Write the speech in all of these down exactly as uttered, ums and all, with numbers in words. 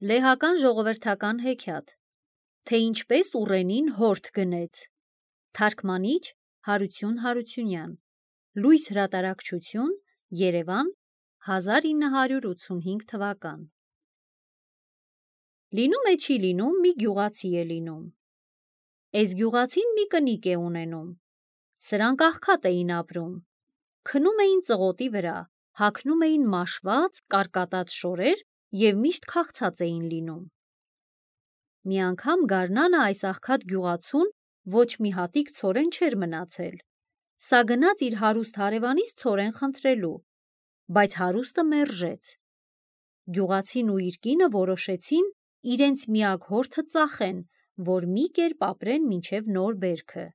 Լեհական ժողովրդական հեքիաթ, թե ինչպես ուռենին հորթ գնեց, թարգմանիչ Հարություն Հարությունյան, լույս հրատարակչություն, Երևան, հազար ինը հարյուր ութսունհինգ թվական։ Լինում է չի լինում, մի գյուղացի է լինում։ Էս գյուղացին մի կնիկ է ունենում։ Սրանք աղքատ էին ապրում։ Քնում էին ծղոտի վրա, հագնում էին մաշված, կարկատած շորեր և միշտ քաղցած էին լինում։ Մի անգամ գարնանը այս աղքատ գյուղացուն ոչ մի հատիկ ցորեն չէր մնացել։ Սա գնաց իր հարուստ հարևանից ցորեն խնդրելու, բայց հարուստը մերժեց։ Գյուղացին ու իր կինը որոշեցին իրենց միակ հորթը ծախեն, որ մի կերպ ապրեն մինչև նոր բերքը։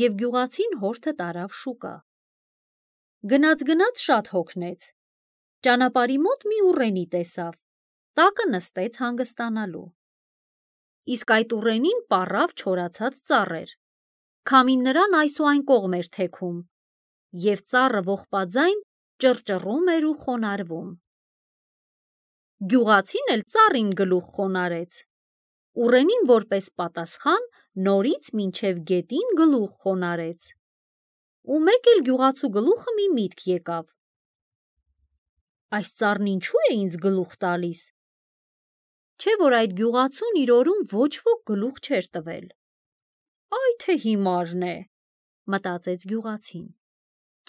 Եվ գյուղացին հորթը տարավ շուկա։ Գնաց-գնաց շատ հոգնեց։ Ճանապարհի մոտ մի ուռենի տեսավ, տակը նստեց հանգստանալու։ Իսկ այդ ուռենին պառավ չորացած ծառեր։ Քամին նրան այս ու այն կողմ էր թեքում, և ծառը ողբաձայն ճռճռում էր ու խոնարհվում։ Գյուղացին էլ ծառին գլուխ խոնարհեց։ Ուռենին որպես պատասխան նորից մինչև գետին գլուխ խոնարհեց։ Ու մեկ էլ գյուղացու գլուխը մի միտք եկավ. այս ծառն ինչու է ինձ գլուխ տալիս։ Չէ՞ որ այդ գյուղացուն իր օրում ոչ ոք գլուխ չէր տվել։ Այ թե հիմարն է, մտածեց գյուղացին,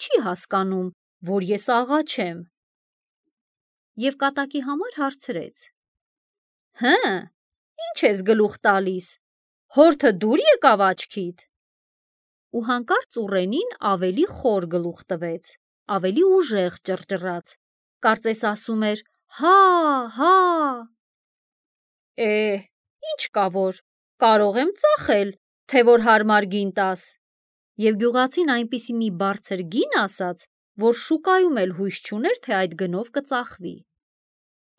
չի հասկանում, որ ես աղա չեմ։ Եվ կատակի համար հարցրեց. Հը, ի՞նչ ես գլուխ տալիս, հորթը դուր եկավ աչքիդ։ Ու հանկարծ ուռենին ավելի խոր գլուխ տվեց, ավելի ուժեղ ճռճռաց, կարծես ասում էր հա, հա։ Է, ինչ կա որ, կարող եմ ծախել, թե որ հարմար գին տաս։ Եվ գյուղացին այնպիսի մի բարձր գին ասաց, որ շուկայում էլ հույս չուներ, թե այդ գնով կծախվի։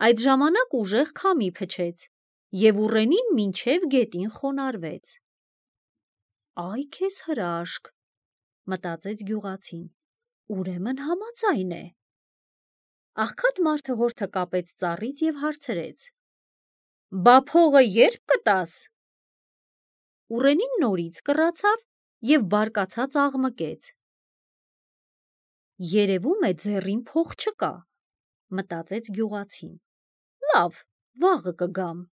Այդ ժամանակ ուժեղ քամի փչեց, և ուռենին մինչև գետին խոնարհվեց։ Այ քեզ հրաշք, մտածեց գյուղացին, ուրեմն համաձայն է։ Աղքատ մարդը հորթը կապեց ծառից և հարցրեց. Բա փողը ե՞րբ կտաս։ Ուռենին նորից կռացավ և բարկացած աղմկեց։ Երևում է ձեռին փող չկա, մտածեց գյուղացին, լավ, վաղը կգամ։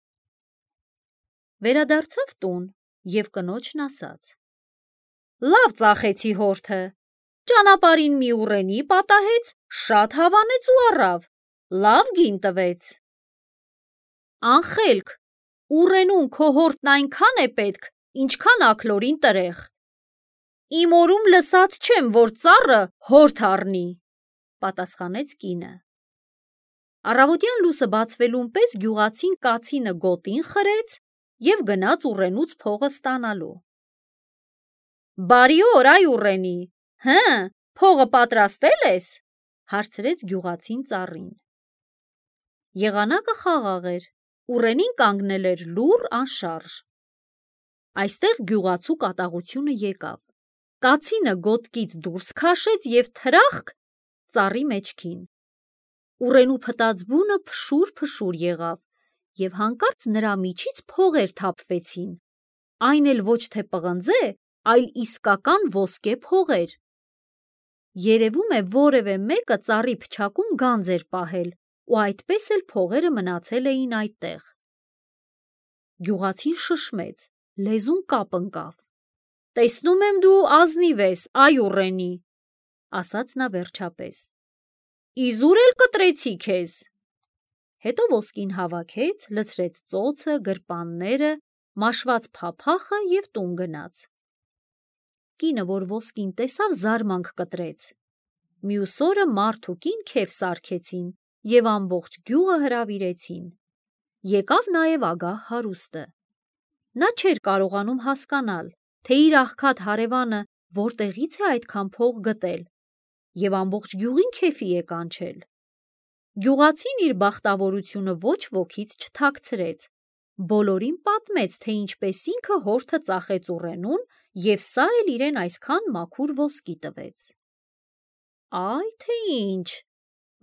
Վերադարձավ տուն և կնոջն ասաց. Լավ ծախեցի հորթը, ճանապարհին մի ուռենի պատահեց, շատ հավանեց ու առավ, լավ գին տվեց։ Անխելք, ուռենուն քո հորթն այնքան է պետք, ինչքան աքլորին տրեղ։ Իմ օրում լսած չեմ, որ ծառը հորթ առնի, պատասխանեց կինը։ Առավոտյան լույսը բացվելուն պես գյուղացին կացինը գոտին խրեց և գնաց ուռենուց փողը ստանալու։ Բարի օր, այ ուռենի, հը, փողը պատրաստել ես, հարցրեց գյուղացին ծառին։ Եղանակը խաղաղ էր, ուռենին կանգնել էր լուռ անշարժ։ Այստեղ գյուղացու կատաղությունը եկավ։ Կացինը գոտկից դուրս քաշեց և թրախկ ծառի մեջքին։ Ուռենու փտած բունը փշուր-փշուր եղավ, և հանկարծ նրա միջից փողեր թափվեցին, այն էլ ոչ թե պղնձե, այլ իսկական ոսկե փողեր։ Երևում է որևէ մեկը ծառի փչակում գանձ էր պահել ու այդպես էլ փողերը մնացել էին այդտեղ։ Գյուղացին շշմեց, լեզուն կապ ընկավ։ Տեսնում եմ դու ազնիվ ես, այ ուռենի, ասաց նա վերջապես։ Իզուր էլ կտրեցի քեզ։ Հետո ոսկին հավաքեց, լցրեց ծոցը, գրպանները, մաշված փափախը և տուն գնաց։ Կինը, որ ոսկին տեսավ, զարմանք կտրեց։ Մյուս օրը մարդ ու կին քեֆ սարքեցին և ամբողջ գյուղը հրավիրեցին։ Եկավ նաև ագահ հարուստը։ Նա չէր կարողանում հասկանալ, թե իր աղքատ հարևանը որտեղից է այդքան փող գտել, և ամբողջ գյուղին քեֆի է կանչել։ Գյուղացին իր բախտավորությունը ոչ ոքից չթաքցրեց, բոլորին պատմեց, թե ինչպես ինքը հորթը ծախեց ուռենուն և սա էլ իրեն այսքան մաքուր ոսկի տվեց։ Այ թե ինչ,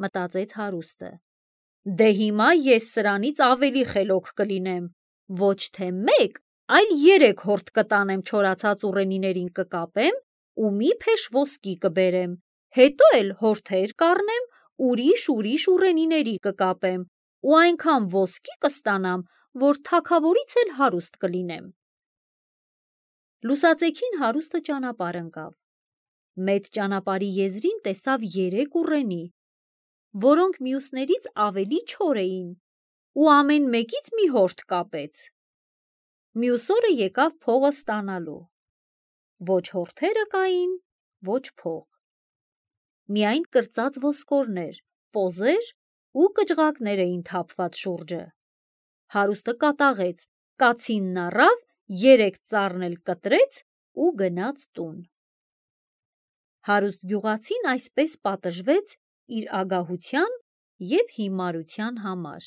մտածեց հարուստը, Դե հիմա ես սրանից ավելի խելոք կլինեմ, ոչ թե մեկ, այլ երեք հորդ կտանեմ չորացած ուռենիներին կկապեմ ու մի փեշ ոսկի կբերեմ, հետո էլ հորթեր կառնեմ, ուրիշ-ուրիշ ուռենիների կկապեմ ու այնքան ոսկի կստանամ, որ թագավորից էլ հարուստ կլինեմ։ Լուսածեքին հարուստը ճանապարհ ընկավ։ Մեծ ճանապարհի եզրին տեսավ երեք ուռենի, որոնք մյուսներից ավելի չոր էին, ու ամեն մեկից մի հորդ կապեց։ Մյուս օրը եկավ փողը ստանալու։ Ոչ հորթերը կային, ոչ փող։ Միայն կրծած ոսկորներ, պոզեր ու կճղակներ էին թափված շուրջը։ Հարուստը կատաղեց, կացինն առավ, երեք ծառն էլ կտրեց ու գնաց տուն։ Հարուստ գյուղացին այսպես պատժվեց իր ագահության և հիմարության համար։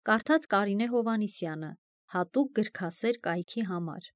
Կարդաց Կարինե Հովհաննիսյանը, հատուկ գրքասեր կայքի համար։